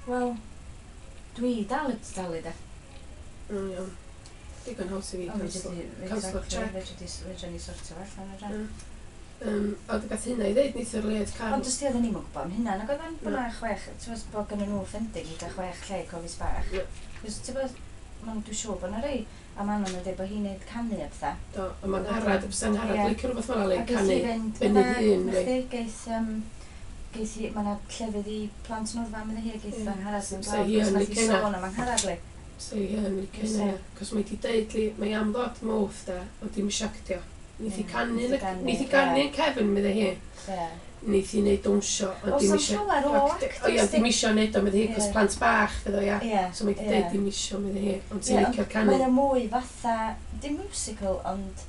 Wel, dwi dal yn talu de. O, iawn. Digon haws i fi Ond canslo. fedri di, Canslo'r exactly, check. fedri ni sortio fo allan fedra. Ie. A gath hynna i ddeud neithiwr le oedd Carl. Ond os ti oedden ni'm yn gwybod am hynna, nag oedden bod Na. na chwech, ti'n gwbod bod gynnon nhw funding i gael chwech lle i Cofis Bach. Na. Cos ti'n gwbod, dwi'n siŵr bod na rei, a Manon yn dweud bod hi'n neud canu a pethau. Do, a mae'n Angharad, bysa Angharad Ie. licio rhywbeth fel 'na, A le geith canu. hi fynd, ben na, ei hun, na le. chdi, geith hi, mae yna llefydd i plant Noddfa, medde hi, a geith Ie. Angharad fynd Sa lawr, hi cos yn nath hi licio hynna. sôn am Angharad, li. So ie, yn licio Fysa. hynna. Cos mae di deud li, mae am ddod Mawrth da, ond dim isio actio. Neith hi Ie, canu, neith hi ganu, neith hi ganu ie. yn cefn, medde hi. Ie. Neith hi neud dawnsio, ond Oes dim am isio llawer o actio. O ie, actors, dim isio neud o, medde hi, cos Ie. plant bach fydd o, ia. Ie. So mae di ie. deud dim isio, medde hi, ond Ie, ti'n ond licio'r canu. Mae o mwy fatha, dim musical, ond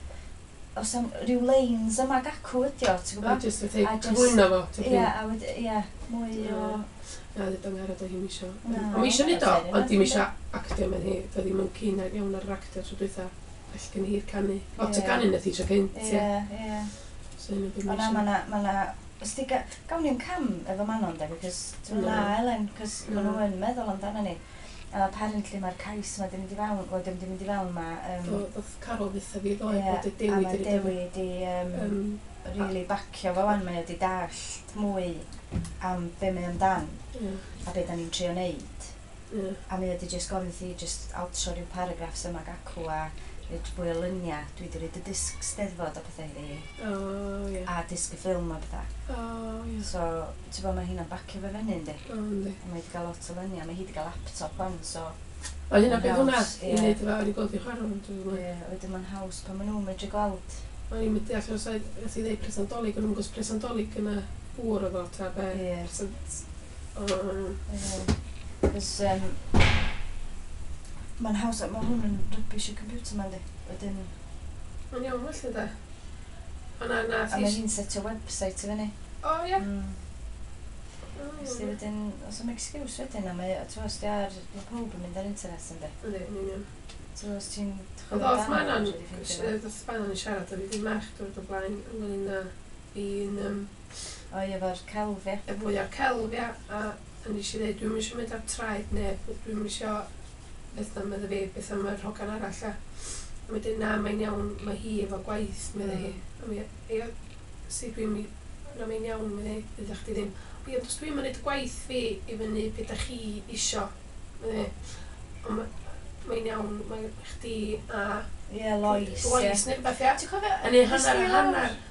os am ryw lines yma ac acw ydi o, ti'n A gwybod? jyst fatha A jyst- cyflwyno fo, ti'n Ie, gwybod? a wedi, ie, mwy o... Na, dweud Angharad oedd hi'm isio. Na, Ond mae isio neud o, fair enough, ond dim yndi. isio actio, medde hi. Doedd ddim yn keen iawn ar yr actio tro dwytha. Well gen hi'r canu. Lot o Ie. ganu nath hi tro cynt, ie. Ie, ie. So hynny beth O mae na, isio. ma' na, os ti gawn ni'm cam efo Manon de, because ti'n Na. na Elen, cos ma' Na. nhw yn meddwl amdano ni. A apparently mae'r cais yma di mynd i fewn, wel dim di mynd i fewn, ma'... Do, ddoth Carol ddeutha fi ddoe Ie, bod y a Dewi mae di Dewi di really bacio fo wan, mae o di dallt mwy am be mae amdan a be da ni'n trio neud. A mae o di just gofyn thi just altro rhyw paragraffs yma ac acw a rhaid fwy o luniau. Dwi di roid y disg steddfod a pethau iddi hi, O, ie. a disg y ffilm a pethau. O, ie. So, ti'n bod, mae hynna'n bacio fe fyny, yndi? O, yndi. A mae wedi cael lot o luniau, mae hi wedi cael laptop wan, so... O, hynna beth hwnna, Haws, i ie. wneud efo, o'n i gweld i chwarae hwn, dwi'n meddwl. Ie, wedyn mae'n haws pan maen nhw'n medru gweld. O'n i'n mynd deall os oedd, nath i ddeud presant Dolig, o'n i'n gwybod presant Dolig yna gŵr oedd o, ta be. Ie. Presant... O, Ie. Cos, mae'n haws, mae hwn yn rubbish y computer ma'n di. Wedyn, Mae'n iawn felly de. O na, na, a mae hi'n setio website i fyny. O, ie. O, Os di iawn. wedyn, os am excuse wedyn, a mae, ti'n os di ar, mae pawb yn mynd ar internet yndi. Yndi, yn union. Ti'n os ti'n Ond oedd Manon, fedri ffeindio fo. oedd Manon yn siarad â fi ddim mach dwrnod o blaen ynglyn â fi'n O ie, efo'r celf, ie. y fwy o'r celf, ia, a nes i ddeud, dwi'm isio mynd ar traed neb, dwi'm isio beth am medda fi, beth am yr hogan arall, ia. A mae'n dweud, na, mae'n iawn, mae hi efo gwaith, medda hi. A mi, ia, si dwi'n mi, na, mae'n iawn, medda hi, ddeudach chdi ddim. Ie, ond os dwi'n mynd y gwaith fi i fyny beth dach chi isio, medda hi. Ond mae'n iawn, mae chdi a Ie, Lois, ie. Lois neu rhywbeth, ia. Ti'n cofio... Yn ei be sy hanner a lawr? hanner.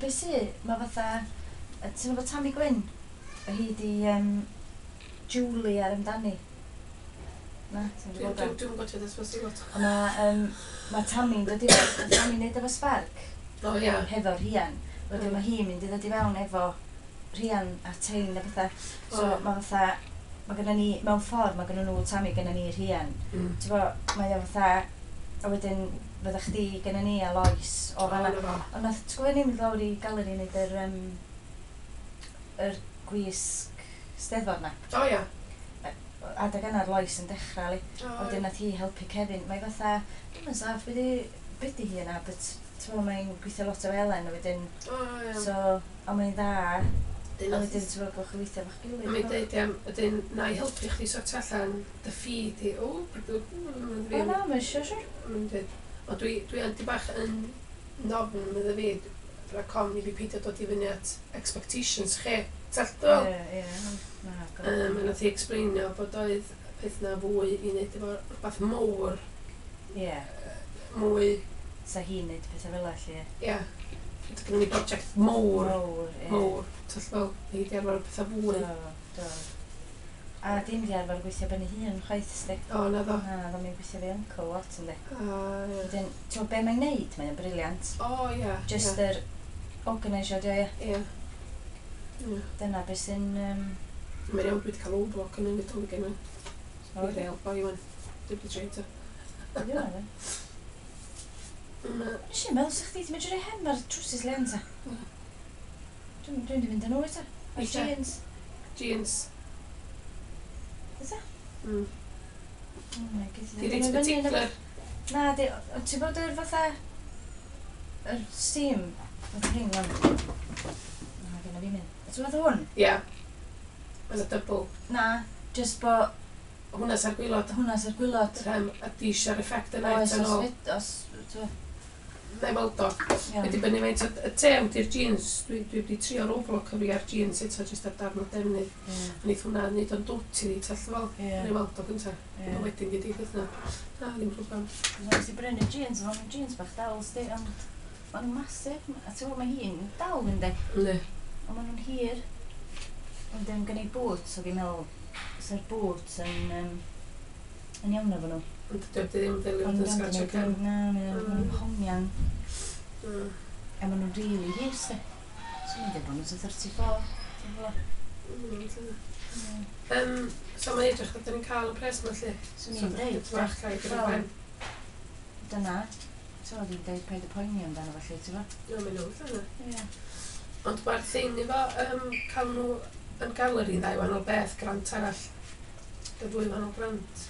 Be sy? Mae fatha... Ti'n gwybod Tammy Gwyn? Hi di Julie ar amdani. Na, ti'n Dwi'n gwybod o? dwi'n gwybod beth ysbys i lot. Ond mae ma Tammy'n dod i fewn, ma' Tammy'n neud efo Spark, O, ia. hefo Rhian. Wedyn mae hi'n mynd i ddod i fewn efo Rhian a Tein a pethau. So O. mae fatha, mae gynna ni, mewn ffordd, mae gynna nhw Tammy, gynna ni Rhian. Ti'n bo, mae o fatha, a wedyn fydda chdi gynna ni a Lois o fan'na. na fo. Ond nath, ti'n gwybod ni'n mynd lawr i galeri i neud yr gwisg steddfod na. O, ia. Adeg yna'r Lois yn dechrau, li. O, Wedyn nath hi helpu Kevin. Mae fatha, dwi'n yn saff, be di hi yna, but ti'n gwybod, mae'n gweithio lot o Elen, a wedyn, O, ia. so, ond mae'n dda, Dyn a nath- wedyn ti'n gwybod, gwch chi weithio efo'ch gilydd. A mae'n deud, ia, ydyn, na i helpu chdi sortio allan dy ffid i. O, O na, mae'n siŵr, siŵr. Mae'n deud, o dwi yn di bach yn nofn, medda fi, rhaid ofn i fi peidio dod i fyny at expectations chi. Tell dol? Ie, ie, na, A nath hi explainio bod oedd peth na fwy i wneud efo rhywbeth mowr, Ie, mwy, sa hi'n neud pethau fel 'a, lly. ia. Gynnon ni brosiect mowr, Mowr, ie. mowr. Tell fel, hi di arfer pethau fwy. Do, do. A dim di arfer gweithio ben ei hun chwaith, sti. O, na ddo. Na, ddo mi'n gweithio fi uncle lot, yndi. A, ie. Wedyn, ti'n gwbod be mae'n neud? Mae'n brilliant. O, ia. Just yr organisio, dio, ie. Ie. Ie. Dyna beth sy'n... Mae'n iawn, dwi wedi cael overlock yn y Nadolig yma. O, Dwi'n real boi wan. Dwi wedi treu to. Ydi hwnna, fe? Na. Nes i'n meddwl sa chdi 'di medru rhoi hem ar trowsus Leanne ta. Dwi'n di fynd â nhw eto. Ar Eisiau. jeans. Jeans. Eto? Oh my goodness. Di reit particular. Na, di... o- Ti'n bod yr fatha... Yr steam. Fatha hyn, wan. Na, gynna fi mynd. Ti'n fatha hwn? Ie. Mae'n a double. Na. Just bo... Hwnna sy'r gwaelod. Hwnna sy'r gwaelod. Rhem, a di eisiau'r effect yna Oes, eto os nôl. fyd, os... t'wo', Na i weld o. Iawn. Mae dibynnu faint o y tew di'r jeans. Dwi wedi trio overlock fi ar jeans eto jyst ar darn o defnydd. A neith hwnna neud o'n dwt i ni, tell fel. Ie. Na i weld o gynta. Ie. A wedyn gyd i beth na. Na, ddim problem. Nes i brynu jeans, ond nhw'n jeans bach dal, sti, ond maen nhw'n massive. A ti'n gwybod, mae hi'n dal yndi, Ne. ond maen nhw'n hir. Ond dim gen i boots, so fi'n meddwl, sa'r boots yn iawn efo nhw. Ond dydy o ddim delio Ond fod yn sgratio cefn. Na, maen nhw'n hongian, a maen nhw'n rili hir, sti. So mi'n dweud bod nhw'n 34. Ti'n gwbod? Ie. So mae'n edrych bod ni'n cael y pres yma lle. Swn i'n deud, Bach llai gyda'r Wel. ben. Dyna, ti'n gwybod, i'n deud paid y poeni amdano felly, ti'n gwybod? Ie, mae'n nhw, yna. Ie. Ond mae'r thing efo cael nhw yn galeri ddau wahanol beth, grant arall. Y ddwy wahanol grant.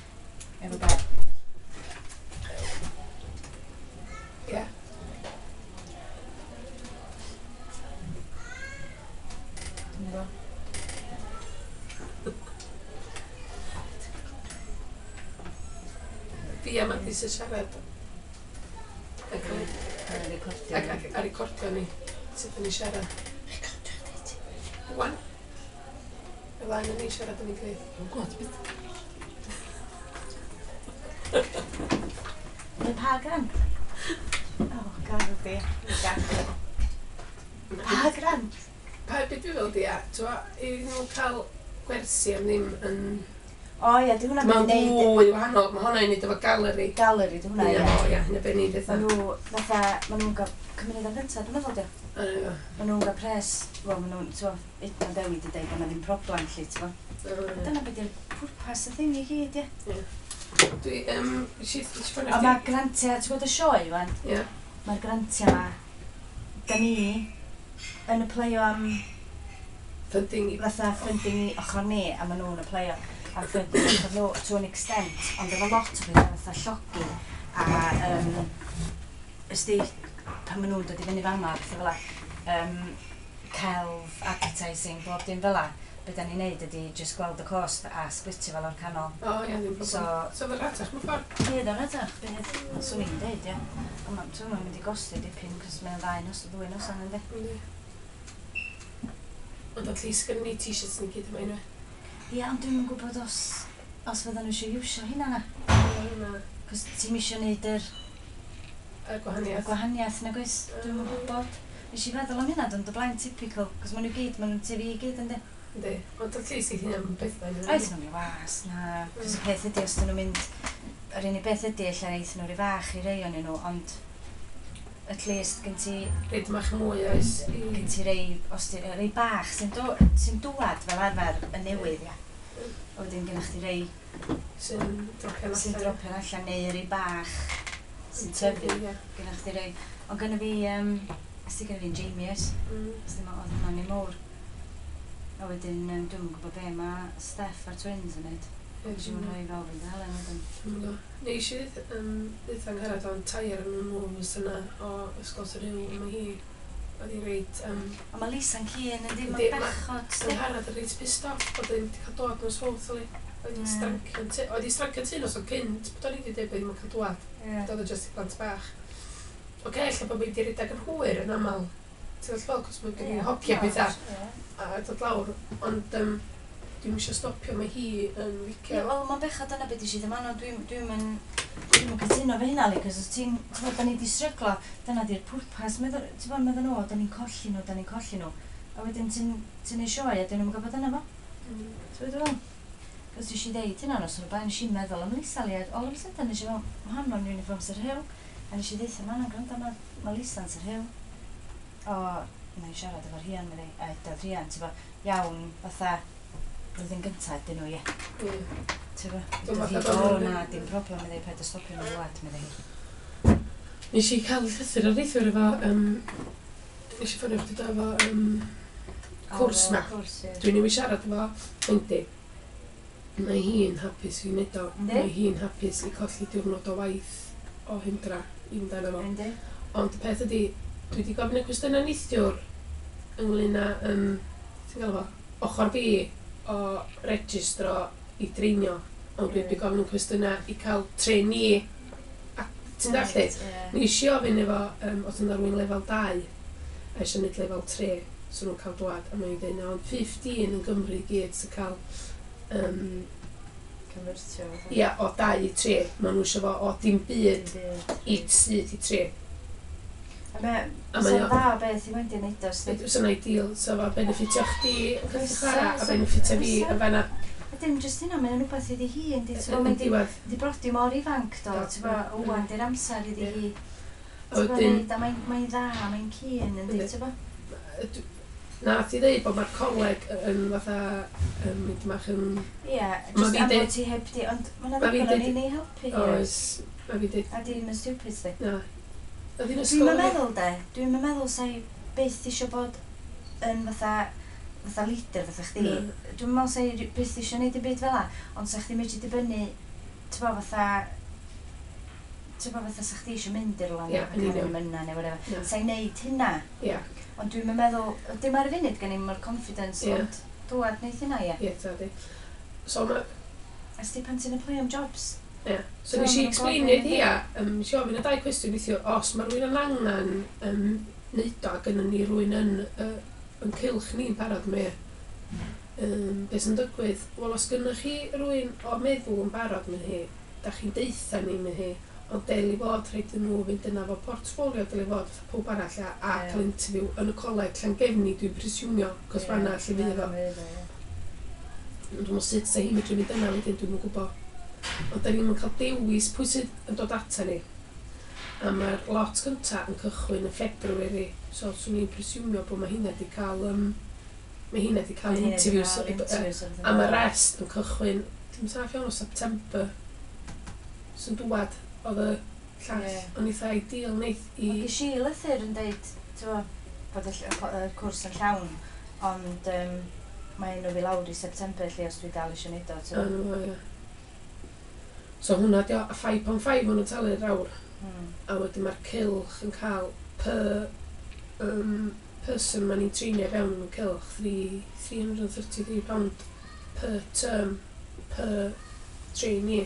Efo be? Ie. Dwi'n gwybod. Fi a Madi sy'n siarad. Ac, Yn recordio. ac, a recordio ni. Sut ydyn ni siarad. Recordio chdi ti. Wan. Y ddau yn ni siarad yn ei gilydd. Dwi'n gwybod beth. Mae pa grant? Oh, god di. Pa grant? Pa beth dwi'n fel di, a, t'wo, i nhw cael gwersi am ddim yn... O ie, di hwnna'n Mae'n mynd i neud fwy wahanol, mae hwnna'n neud efo galeri. galeri, di hwnna, Ie, ie. o, ie, hynna be ni'n Ma' dweud. nhw, fatha, ma' nhw'n gael cymuned am gyntaf, dwi'n meddwl, di. Ma' nhw'n gael pres, wel, ma' nhw'n, ti'n Edna Dewi di deud bod 'na ddim problem, lle, ti'n Dyna beth yw'r pwrpas y thing i gyd, ie. Dwi, nes i ffonio A chdi. mae grantiau, ti'n gwybod y sioe, wan? Ie. Mae'r grantiau ma, da ni yn applyio am Funding i... fatha funding i ochr ni, a maen nhw'n applyio am funding i ochr nhw to an extent, ond efo lot o bethau fatha llogi a ysdi, pan maen nhw'n dod i fyny fama, pethau fel 'a, celf, advertising, bob dim fel 'a, be da ni'n neud ydi just gweld y cost a splitio fel o'r canol. O, ie, ddim problem. So, So, fe'r ratach mewn ffordd. bydd o'n edrych, bydd, swn i'n deud, ie. Ond ti'n mae'n mynd i gosti dipyn, cos mae'n ddau nos, ddwy noson, yndi? Yndi. Ond at least gynnu ni t-shirts ni gyd yma unwe. Ie, ond dwi'm yn gwybod os fyddan nhw eisiau iwsio hynna na. Na, Cos ti'm isio neud yr y gwahaniaeth. gwahaniaeth nag oes? Dwi'm yn gwybod. Nes i feddwl am hynna, ond y blaen typical, cos maen nhw gyd, maen nhw'n tyfu i gyd, yndi? Yndi. Ond at least i hynna'n bethau. Oes nhw'n mynd was, na. Cos y peth ydi, os dyn nhw'n mynd... Yr unig beth ydi, ella eith nhw rhy fach i rei o'n nhw, ond at least gen ti, Rhaid mach mwy oes. gen ti rei, os ti, rei bach sy'n do, sy'n dwad fel arfer yn newydd, ia. A wedyn gennych chdi rei Sy'n dropio'n sy'n allan. dropio'n allan neu rei bach sy'n tyfu. Ie. Gennych chdi rei. Ond gynna fi, ys ti gynna fi'n Jamie oes? Ys ddim oedd hwnna'n ei mowr. A wedyn, dwi'm yn gwybod be mae Steph a'r twins yn neud. Ie, Nes i'm rhoi fel fynd Helen wedyn. Dwi'm yn gwbo. Nes i ddeud Angharad o'n tair yn y moves yna o Ysgol Sir Huw, mae hi oedd hi reit Ond mae Lisa'n cyn yndi, Yndi, mae'n ma' bechod, sti. Angharad yn reit pissed off bod hi ddim wedi cael dod nos fawrth oli. Oedd hi'n strancio oedd hi'n strancio tŷ nos o cynt, bod o'n i wedi dweud bod hi'n cael dwad. Doedd o jyst i blant bach. Oce, ella bod fi wedi rhedeg yn hwyr yn aml. Ti'n gwybod fel, cos mae'n gen i hogia pethau a dod lawr. Ond dwi'm eisiau stopio, mae hi yn Ie, licio. wel, mae'n bechod dyna beth eisiau ddim anno, dwi'm yn cytuno fe hynna, li, cos os ti'n, ti'n bod, da ni di stryglo, dyna di'r pwrpas, meddwl, ti'n bod, meddwl nhw, da ni'n colli nhw, da ni'n colli nhw. A wedyn ti'n ti neud sioe a dyn nhw'n gwybod yna fo. Ti'n bod fel? Cos nes i ddeud hynna nos o'r blaen, nes i'n meddwl am Lisa, li, a all of a sudden nes i fel, mae hon mewn uniform Sir Huw. A nes i ddeutha, ma' hwnna'n gwrando, ma Lisa'n Sir Huw. O, na i siarad efo'r rhian, meddi, a edodd rhian, ti'n bod, iawn, fatha, blwyddyn gyntaf dyn nhw, ie. Ie. Ti'n bod? Dwi'n Doedd hi, fatha o bod nhw'n- na, dim problem, meddi, paid â stopio nhw rwad, meddi hi. Nes i cael llythyr ar neithiwr efo, nes i ffonio chdi do efo cwrs O, ma. Cwrs, ie. Dwi'n newid siarad efo Wendy. Mae hi'n hapus i wneud o. Yndi? Mae hi'n hapus i colli diwrnod o waith o hyndra i fynd arno fo. Yndi? Ond y peth ydi, dwi wedi gofyn y cwestiynau neithiwr ynglyn â, ti'n gael fo, ochr fi o registro i i dreinio, ond dwi wedi gofyn nhw'n cwestiynau i cael trainee, a ti'n dallt i? Nes i ofyn efo, os yna rhywun lefel 2, a eisiau gwneud lefel 3, so nhw'n cael dwad, a mae'n dweud, na, ond 15 yn Gymru i gyd sy'n cael, Convertio fatha. Ia, o 2 i 3, maen nhw eisiau fo o dim byd i syth i 3. A mae, A so'n mae o- dda o beth i Wendy wneud o, sdi. Fysa'n ideal, so fo benefitio chdi yn cael Fysa, chwarae, a fysa, benefitio fi fysa. yn fanna. A dim jyst hynna, mae'n rhywbeth iddi hi, yndi, ti'n Yn mae'n di, diwedd. di brodi mor ifanc, do, Do. ti'n bo, ŵan di'r amser iddi hi. A Ti'n bo, wedyn, neud, a mae'n dda, mae'n keen, yndi, Yndi. ti'n bo? Nath i ddeud bod mae'r coleg yn fatha, mynd bach yn. Ie, Ma' jyst fi'n am deud- bod ti heb di, ond mae'n Ma' fi'n ddigon o'n deud- i'n ei helpu hi. Oes, mae fi dweud, A di ddim yn stupid, di. na. Oedd hi'n Dwi'n ysgol? meddwl de, dwi'n meddwl sa'i byth eisiau bod yn fatha leader fatha chdi. Na. Dwi'n meddwl sa'i byth eisiau neud dim byd fel 'a, ond sa chdi medru dibynnu, ti'n bo, fatha sa chdi eisiau mynd i'r rwla Ie, neu yn cael union. mynna neu whatever. Na. Sa'i neud hynna, ond dwi'n meddwl, dim ar y funud gen i'm o'r confidence, ond dwad neith hynna, ie. Ie, ta di. So, ma, A sti pan ti'n apply am jobs? ie. So, So, nes i ma' nhw'n explain gofyn, iddi hi, nes i ofyn y dau cwestiwn neithiwr, os mae rhywun yn angen neud o, a gynnon ni rhywun yn cylch ni'n barod, mae beth sy'n digwydd? Wel, os gynnoch chi rhywun o meddwl yn barod, mae hi, da chi'n deutha ni, mae hi, ond deli fod rhaid iddyn nhw fynd yna fo portfolio, deli fod fatha pob arall a cael interview yn y coleg Llangefni, dwi'n presumio, cos fanna lle fydd o. Ond dwi'n meddwl sut sa hi'n medru mynd yna wedyn, dwi'm yn gwybod. Ond da ni'm yn cael dewis pwy sydd yn dod ata ni. A mae'r lot cynta yn cychwyn yn February, so swn i'n presumio bod mae hynna di cael, mae hynna di cael interviews. A mae'r rest yn cychwyn, dim saff iawn o September. Sy'n dwad oedd y llall. Ond eitha ideal neith i. Wel, ges i lythyr yn deud, ti'n bo, bod y cwrs yn llawn, ond mae enw fi lawr i September lle os dwi dal eisiau neud o, ti'n O, bo. no, ie. So hwnna di o, a 5.5 maen nhw'n talu'r awr. A wedyn mae'r cylch yn cael per person ma'n ni'n treinio fewn yn cylch, £333 per term, per trainee.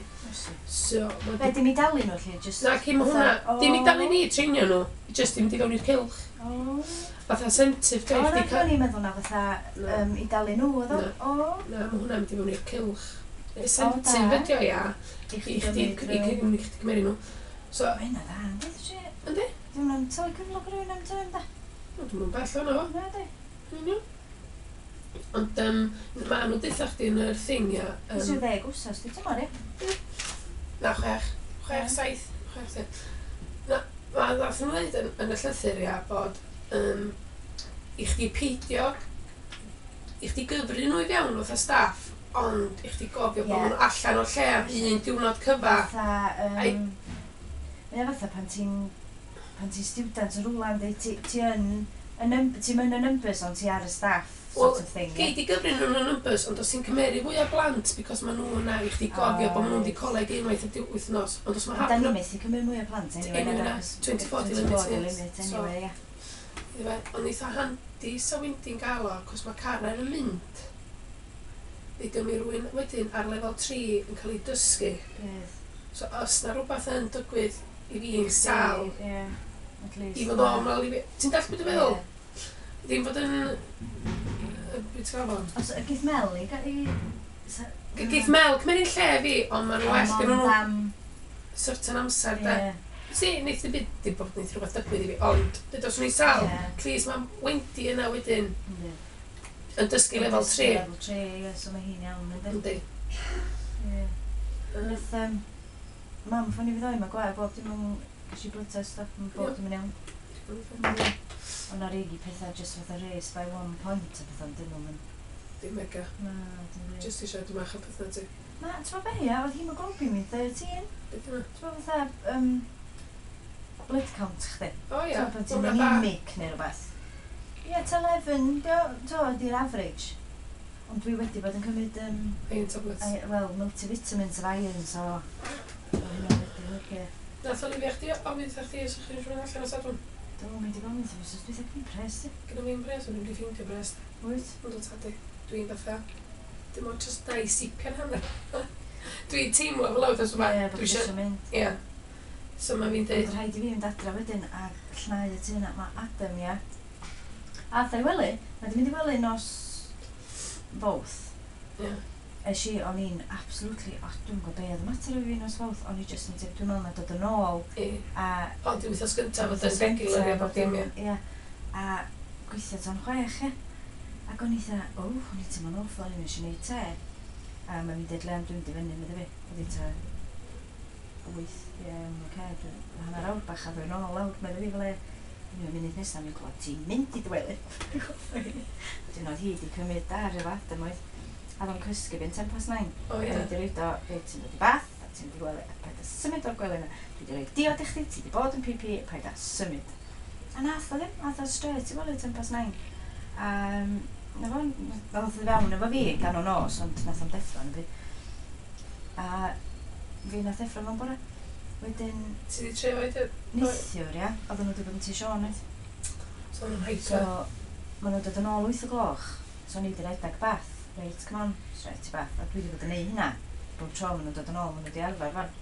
So, ma' Be, dim i dalu nhw lle, just Na, cyn ma' hwnna, fatha- dim i dalu ni treinio nhw, just dim i fewn i'r cylch. O. Fatha incentive, O, de, na, chdi cael. o'n i'n meddwl na fatha Na. i dalu nhw, oedd o? Na. O, Na, mae hwnna'n mynd i fewn i'r cylch. Incentive da. ydi o, ia, i i chdi chdi, gymryd i rhyw- chdi gymeru nhw. So, Mae hynna dda, yndi? Ti? Yndi. Ddim yn talu cyflog rhywun am term, da? Dwi'n mynd bell o'na fo. Na, di. Yn union. Ond ma' nhw'n deutha chdi yn yr thing, ia. Os yw 10 wsos, di tymor, ie? Na, 6. 6, 7. 6, 7. Na, ma' nath nhw ddeud yn y llythyr, ia, bod i chdi peidio, i chdi gyfri nhw i fewn fatha staff, ond i chdi gofio bod nhw'n allan o'r lle am un diwrnod cyfa. Fatha, Mae o fatha pan ti'n student yn rhywle, yndi? Ti yn, y ti'n mynd y numbers, ond ti ar y staff, sort Wel, of thing. Gei di gyfri nhw'n y numbers, ond os ti'n cymeru fwy o blant, because ma' nhw yna i chdi gofio bod nhw'n di coleg unwaith y wythnos, ond os ma' Ond da hap ni methu cymryd mwy o plant, anyway. Anyway, na, na, achos 24 di limit, 24 di ie. limit, So- anyway, ie. Ife, ond eitha handi sa Wendy'n gael o, cos mae Karen yn mynd. Ddeudwn mi rywun wedyn ar lefel 3 yn cael ei dysgu. Bydd. So os na rhywbeth yn digwydd i fi'n sal, Ie, at least. i fod o ymlaen i fi. Ti'n dallt beth dwi'n meddwl? Ie. Ddim fod yn beth ti'n galw fo? Os geith Mel i... Geith Mel cymeru'n lle fi, ond ma'n well gen nhw Am... certain amser, de. Ie. Si, neith y byd, dim bod neith rhywbeth digwydd i fi, ond dyd os o'n i'n sal, at least mae Wendy yna wedyn Yndi. yn dysgu lefel 3. Lefel 3, ie, so mae hi'n iawn, yndi? Yndi. Ie. Nath, mam ffonio fi ddoe, mae gwael bob dim yn. Ges i blood test a mae bob Ie. dim yn iawn. Yndi. Ond ar regi pethau just fatha race by one point a pethau, dyn nhw'n mynd. Dim mega. Na, dim byd. Just eisiau dwi'n mach o pethau ti. Na, ti'n gwybod be, ia, oedd hemoglobin mi'n 13. Beth yna? Ti'n gwybod fatha, blood count chdi. O ia, Ti'n gwybod pan ti'n hwnna da. anemic neu rhywbeth. Ie, ta 11, dio, di'r average. Ond dwi wedi bod yn cymryd, Iron tablets. Wel, multivitamins of iron, so o hynna wedi helpu. Nath Olivia chdi ofyn wrtha chdi os ydych chi'n mynd allan o Sadwrn. Do, mae di gofyn wrtho fi, so dwi'n ddim pres, di. Gyda fi'n bres, o'n i'n wedi ffeindio bres. Wyt? Ond o tadi, dwi'n fatha Dim ond just na i sipian hanner. Dwi'n teimlo fel awd os yma. Ie, bod Dwi chi isio isio mynd. Ie. So mae fi'n Ond deud, rhaid i fi fynd adra wedyn a llnau y tŷ yna. Mae Adam, ia. Ath o'i wely. Mae di mynd i wely nos Fawrth. Ie. Es i, o'n i'n absolutely, o, dwi'n gwybod be oedd y mater o fi nos Fawrth, o'n i just yn teimlo, dwi'n meddwl na dod yn ôl, Ie. a O, di wythnos gyntaf fod yn regular ia, bob dim, ie. Ie. A gweithio tan 6, ie. Ac o'n i dda, o, o'n i'n teimlo'n awful, o'n i'n eisiau gwneud te. A mae'n mynd i Leon, dwi'n mynd i fyny, medde fi. Oedd hi ta 8, ie, oce, hanner awr bach a ddwy nôl lawr, medde fi fel e. O'n i'n munud nesaf, mi'n clywed, ti'n mynd i dy wely. Wedyn oedd hi wedi cymryd dar efo Adam oedd. A oedd o'n cysgu fi'n 9:10. O, Dwi ie. wedi rhoid o, reit, ti'n dod i bath, a ti'n mynd i gwely, a paid â symud o'r gwely yna. Dwi wedi rhoi diod i chdi, ti wedi bod yn PP, paid â symud. A nath o ddim, nath o straight i wely 9:10. A na fo, nath o fewn efo fi gan o nos, ond nath o'm deffro yn y byd. A fi nath deffro fo'n bore. Wedyn, Ti di trio oed? neithiwr, ia, oedden nhw wedi bod yn tŷ Siôn, oedd. So nhw'n So, hyper. maen nhw'n dod yn ôl 8 o gloch. So, o'n i wedi rhedeg bath. Reit, come on, straight i bath. A dwi wedi bod yn neud hynna. Bob tro maen nhw'n dod yn ôl, maen nhw wedi arfer fan.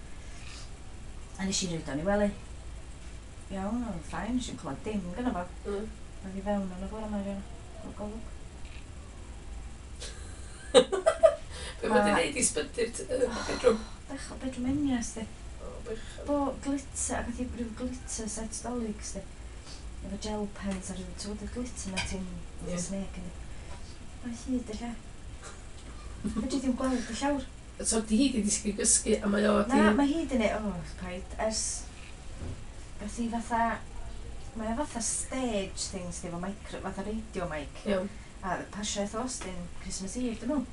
A nes i roid o'n i wely. Iawn, oedd o'n fine, nes i'n clywed dim gynno fo. Oedd i fewn yn y bore yma, rhan. Golwg. Be mae di Ma- wneud i sbydu'r bedroom? Bechod, bedroom enias, di. O, bechod. Bo glitter, ac oedd hi ryw glitter set dolyg, di. Efo gel pens a ryw, ti'n gwybod y glitter na ti'n Ie. snake yn. Mae hyd y lle. Fedri ddim gweld y llawr. So di hi di disgyn gysgu a mae o di... Na, mae hi di neud, o, paid, ers, gath hi fatha, mae o fatha stage things, di, efo micro, fatha radio mic. Iawn. A pasio eith Austin Christmas Eve, dyn nhw.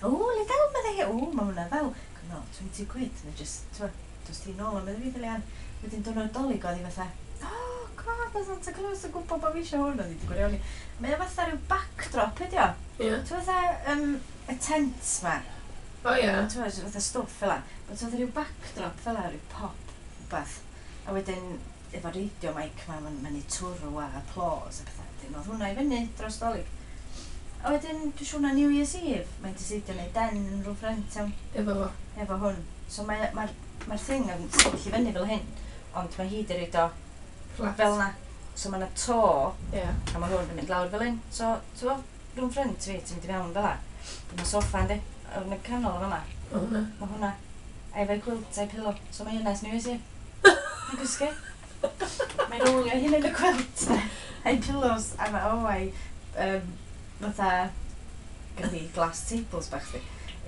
O, le del, medde hi, o, mae hwnna ddel. No, 20 quid, neu just, ti'n dos ti nôl am medde fi, Dilian. Wedyn diwrnod Dolig oedd hi fatha, oh, god, mae Santa Claus yn gwybod bod fi eisiau hwn, oedd hi wedi gwirioni. Mae o fatha rhyw backdrop, ydi o? Ie. Ti'n fatha, y tent ma. O, ie. Ti'n fatha, fatha stwff fel 'a. But oedd rhyw backdrop fel 'a, rhyw pop, rhywbeth. A wedyn, efo radio mic ma, mae'n ma neud twrw a applause a pethau. Wedyn oedd hwnna i fyny dros Dolig. A wedyn, dwi'n siŵr na New Year's Eve, mae'n decidio neud den yn rhyw ffrind iawn, Efo fo. efo hwn. So mae'r mae, mae thing yn sefyll i fyny fel hyn, ond mae hi di roid o Flat. fel na. So mae yna to, Ie. a mae hwn yn mynd lawr fel hyn. So, ti'n gwbod, rhwng ffrind fi, ti'n mynd i fewn fel 'a. Mae soffa yndi, yn y canol yn fama. O, hwnna. Mae hwnna. A efo'i quilt a'i pillow. So mae hynna New Year's Eve. Mae'n gysgu. Mae'n rolio hyn yn y quilt. de. A'i pillows. A mae, o, a'i, fatha, gath hi glass tables bach di.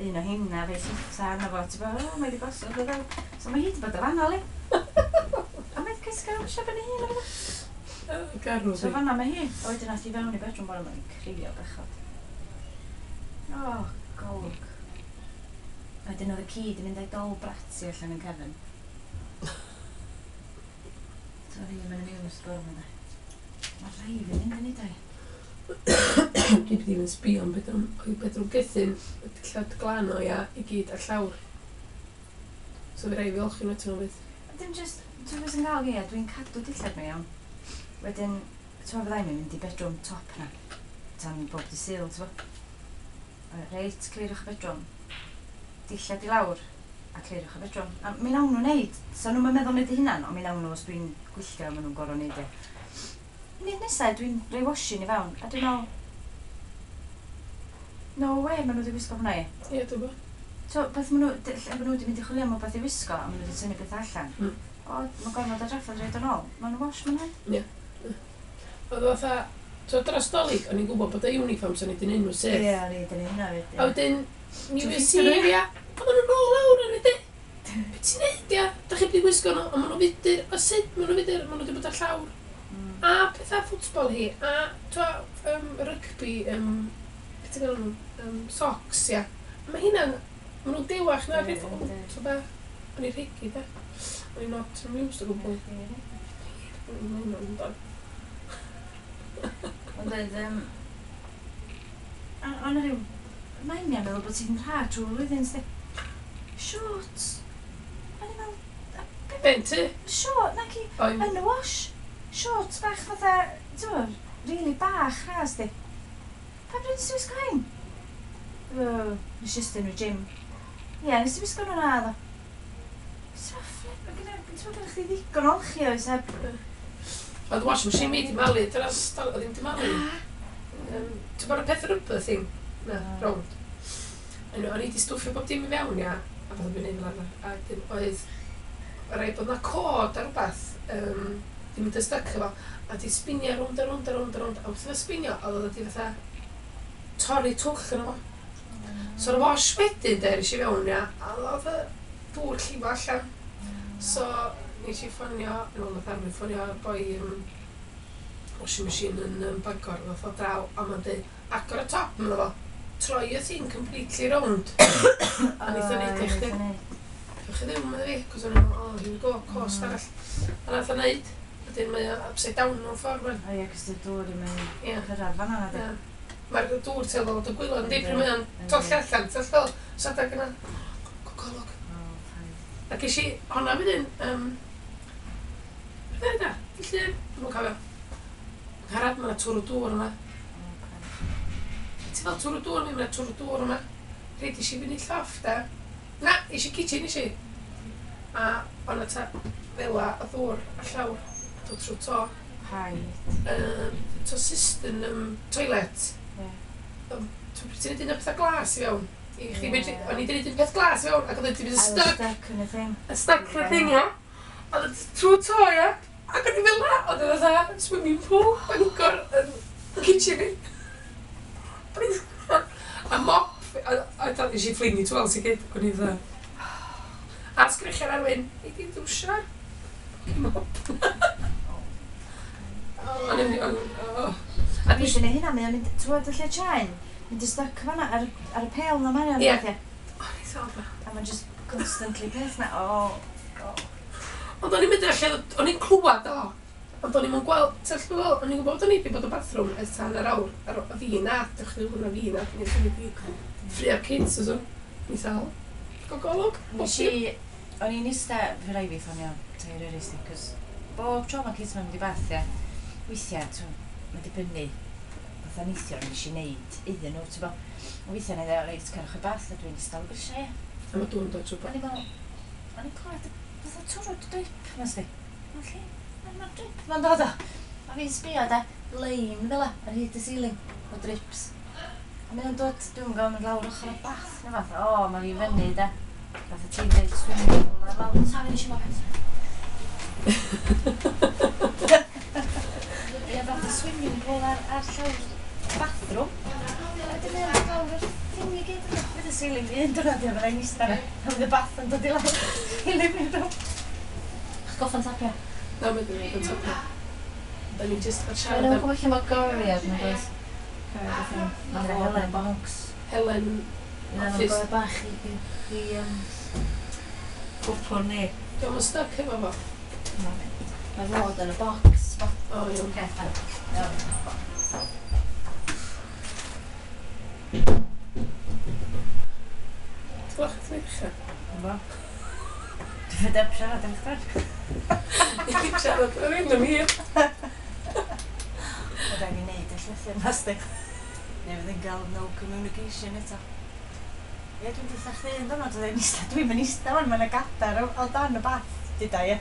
Un o hynna, fe llitha arno fo. Ti'n bod, o, mae di gosod o fel. So mae hi di bod yn fanna, li. A mae di cysgu ar ymwysio ben ei hun. o. O, Garw So di. fanna mae hi. A wedyn nath hi fewn i bedroom bore mae'n crio bechod. O, golwg. A wedyn oedd y ci di mynd â'i dol bratty allan yn cefn. So oedd hi yn amused bore yma. Mae rhai fi mynd yn ei dau. Dwi ddim yn sbio am bedroom, oedd bedroom Gethin, dillad glân o ia, i gyd ar llawr. So fi rai fi olchi nhw eto nhw fydd. A Dim just, ti'n beth sy'n gael fi, dwi'n cadw dillad nhw iawn. Wedyn, ti'n meddwl fyddai'n mynd i bedroom top na. Tan bob di Sul, ti'n bo? Reit, cliriwch y bedroom. Dillad i lawr, a cliriwch y bedroom. A mi nawn nhw wneud. So nhw'n meddwl wneud eu hunan, ond mi nawn nhw os dwi'n gwylltio, maen nhw'n gorfod wneud e. Nid nesaf, dwi'n rhoi washing i fewn, a dwi'n meddwl, no way, maen nhw wedi gwisgo hwnna i. Ie, dwi'n gwybod. So, beth maen nhw, lle maen nhw wedi mynd i chwilio am wbeth i wisgo, a maen nhw wedi tynnu beth allan. O, mae'n gorfod o drafferth rhaid yn ôl. Maen nhw'n wash, maen nhw. Oedd o fatha, so dros Dolig, o'n i'n gwybod bod y uniforms o'n i wedi neud nhw syth. Ie, o'n i wedi neud hynna fyd. A wedyn, New Ti'n Year's ffitio nhw, Eve, ia, oedden nhw'n ôl lawr ar ydy. Be ti'n neud, ia? Da chi wedi gwisgo nhw, a maen nhw'n fudur. O sut maen nhw'n fudur? Maen nhw wedi bod ar llawr. A pethau ffwtbol hi, a twa, rygbi, beth ti'n galw nhw, socks, ia. A mae hynna'n, maen nhw'n dewach na'r Ie, peth, o, yndi. so be, o'n i'n rhegi, de. O'n i'n not amused o gwbl. O'n i'n mynd o'n dod. Ond oedd, o'n rhyw, mae'n mi'n meddwl bod ti'n rhad trwy'r flwyddyn, sti. Shorts. O'n i'n meddwl, Ben ti? short, nac i, O'n yn y wash. Shorts bach fatha, ti'n gwbod, really bach rhas, di. Pa bryd ti'n wisgo hyn? No. Nes i estyn nhw gym. Ie, nes i wisgo nhw na, ddo. So, flip, ti'n meddwl chdi ddigon olchi oes heb... Oedd washing machine mi di malu, dros, oedd ddim di malu. Ti'n bod y peth rubber thing? Na, rownd. Anyway, o'n i di stwffio bob dim i fewn, ia, a fatha dwi'n neud fel arfer. A dim oedd, rhaid bod na cod ar rhywbeth, di mynd yn styc efo, a di spinio rownd a rownd a rownd a rownd, a wrth iddo spinio, oedd o di fatha torri twll yn efo. So y wash wedyn, de, nes i fewn, ia, a oedd y dŵr llifo allan. So, nes i ffonio, yn ôl nath Arwyn ffonio boi washing machine yn Bangor, nath o draw, a ma'n dweud, agor y top, mae'n fo, troi y thing completely round. A neith o neud i chdi. Diolch i ddim, medda fi, cos o'n i'n meddwl, oh, here we go, cost arall. A nath o neud, wedyn mae o upside down mewn ffordd, man. O ie, cos dy'r dŵr ddim yn cyrraedd fan'na, na di. Mae'r dŵr tuedd o ddod o gwylod, yndi, pryd mae o'n tolli allan, ti'n fel, so adag yna, gogolwg. A ges i honna wedyn, beth yna, di llun, dwi'm yn cofio. Ngharad, mae yna twrw dŵr yma. Ti fel twrw dŵr, mae yna twrw dŵr yma. Rhaid i si fyny llofft, da. Na, eisiau kitchen i si. A o'na ta fela o ddŵr a llawr, a dod trwy to. Paid. To cistern toilet. Ti'n neud un o'r pethau glas i fewn. I chdi medru, o'n i wedi neud un peth glas i fewn, ac oedd wedi mynd yn stuck. Stuck yn y thing. Yn stuck yn y thing, ia. Oedd o trwy to, ia. Ac o'n i fel la, oedd o fatha swimming pool, Bangor, yn kitchen i. A mop, a nes i fflingi towels i gyd, o'n i fatha. A sgrechian Arwyn, ei di drwsio'r mop. O'n i'n... A dwi eisiau neud hynna, mae o'n mynd, ti'n gwybod y lle chain? Mynd yn stuck fan'na ar y pel na mae'n Ie. O, ni sal A mae'n just constantly peth na, o. Ond o'n i'n mynd i'r lle, o'n i'n clywed o. Ond o'n i'n gweld, ti'n gweld, o'n i'n gwybod o'n i wedi bod yn bathroom ers tan yr awr. A fi na, dych chi'n gwybod na fi na, dwi'n wedi ffrio'r kids o so. Ni sal. Gogolwg. Nes i, o'n i'n ista, fy rai fi ffonio tair eraill, cos bob tro mae kids ma'n mynd i bath, ia. Weithiau, ti'n mae'n dibynnu, fatha neithiwr nes i neud iddyn nhw, ti'n bo. Weithiau na i ddeud, reit, cerwch i bath, a dwi'n ista o'r grisiau, ia. A mae dŵr yn dod trwy O'n i'n meddwl, o'n i'n clywed fatha twrw drip, ma sti. Mae'n lle, mae'r drip ma'n dod o. A fi'n sbio da, lein fel 'a, ar hyd y ceiling, o drips. A mae'n dod, dwi'n gwybod, mynd lawr ochr y bath, neu fath, o, mae fi fyny da. Fatha ti'n dweud swimming pool ar lawr, sori, nes i mop. Ie, fatha swimming pool ar llawr bathroom. A wedyn mae'n dod lawr yr thing i gyd. Fydd y ceiling un diwrnod ia, fyddai'n ista na. A fydd y bath yn dod i lawr i living room. Ch goffa'n tapio? Na, mae'n dod yn tapio. Da ni'n just fod siarad am... Mae'n gwybod lle mae goriad, mae'n dweud. Mae'n Helen box. Helen office. Mae'n bach i cwpwr ni. Dwi'n mynd stuck efo fo. Mae fod yn y box. O, iawn. Oce, fine. Iawn. Ti'n gweld chdi ddechrau? Ynddo. Dwi'n fed up siarad am chdi. Dwi'n siarad yr un am hir. Mae rhaid i wneud y llythyr na sti. Neu fydd yn gael no communication eto. Ie, dwi'n dweud chdi un diwrnod, dwi'n ista, dwi'n mynd ista fan, mae'n gadar o dan y bath, dyda, ie.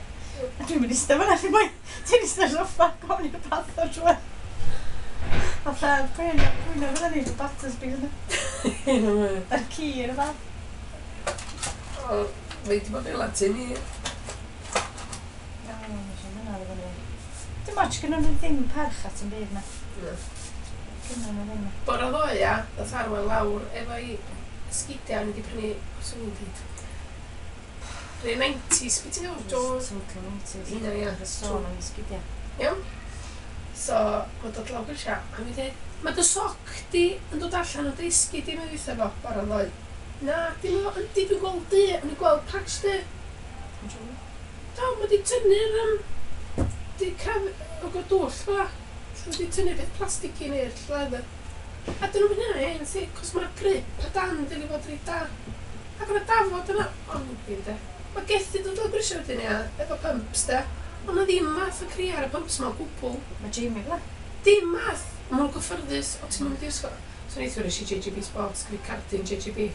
A dwi'n mynd ista fan, allu mwy, ti'n ista soffa, gofyn i'r bath o'r trwy. Fatha, pwy na fydda ni, Battersby yna. A'r ci yn y bath. O, mae di bod yn Latin i. Na, mae'n siŵr yna fydda ni. Dim ots, gynnon nhw ddim parch at yn byd na. Gynnon nhw ddim. Bora ddoe, ia, ddath Arwel lawr efo'i sgidiau, o'n i wedi prynu, os o'n i'n dweud, rhai 90s, beth ti'n gwybod, Jones? Total 90s. Hynna, ia. Y sôn am sgidiau. Iawn? So, mae'n dod lawr grisiau, a mi dweud, mae dy soc di yn dod allan o dy esgid di, mae'n dweud fo, bora ddoe. Na, dim o, yndi, dwi'n gweld di, o'n i'n gweld patch di. Do, mae di tynnu'r, di craf, o go dwll fel 'a. Mae di tynnu'r peth plastig i neu'r leather. A dyn nhw'n mynd yna, un si, cos mae'r grip a dan dyn ni fod reit da. Ac o'na dafod yna, ond ddim de. Mae gethu dod o'r grisiau wedyn ia, efo pumps de. Ond na ddim math o cri ar y pumps ma o gwbl. Mae Jamie fel 'a. Dim math. Mae nhw'n gyffyrddus, o ti'n mynd i ysgol. So neithiwr nes i JJB Sports, gyda cardyn JJB.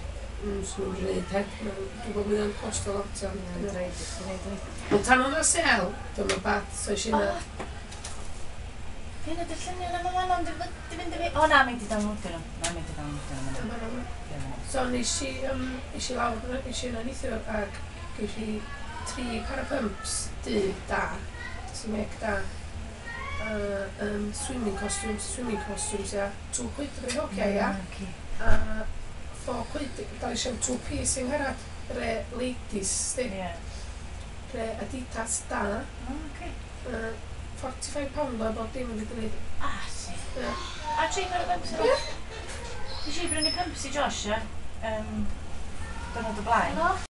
So nhw'n gwneud heb, dwi'n gwybod mynd o'n costo lot iawn. Mae'n rhaid i chdi wneud hynny. Ond tan o'na sel, dyma bad, so eisiau yna. Hyn ydy'r lluniau yma fan ond di fynd i fi. O na, mae di downloadio nhw. Na, mae di downloadio nhw. Dyma nhw. Ie, ma' nhw. So nes i, nes i lawr, nes i yna neithiwr ac ges i tri par o pumps du da, sy'n mec da. A swimming costumes, ia. £2 efo'r hogia, ia. Oce. A £4, dal eisiau two piece yng Ngharad, re ladies, sti. Ie. Re Adidas da. O, oce. £45 o bob dim wedi gwneud. Ah, si. Ie. A tri par o pumps yna? Nes i brynu pumps i Josh, ie. Diwrnod o blaen.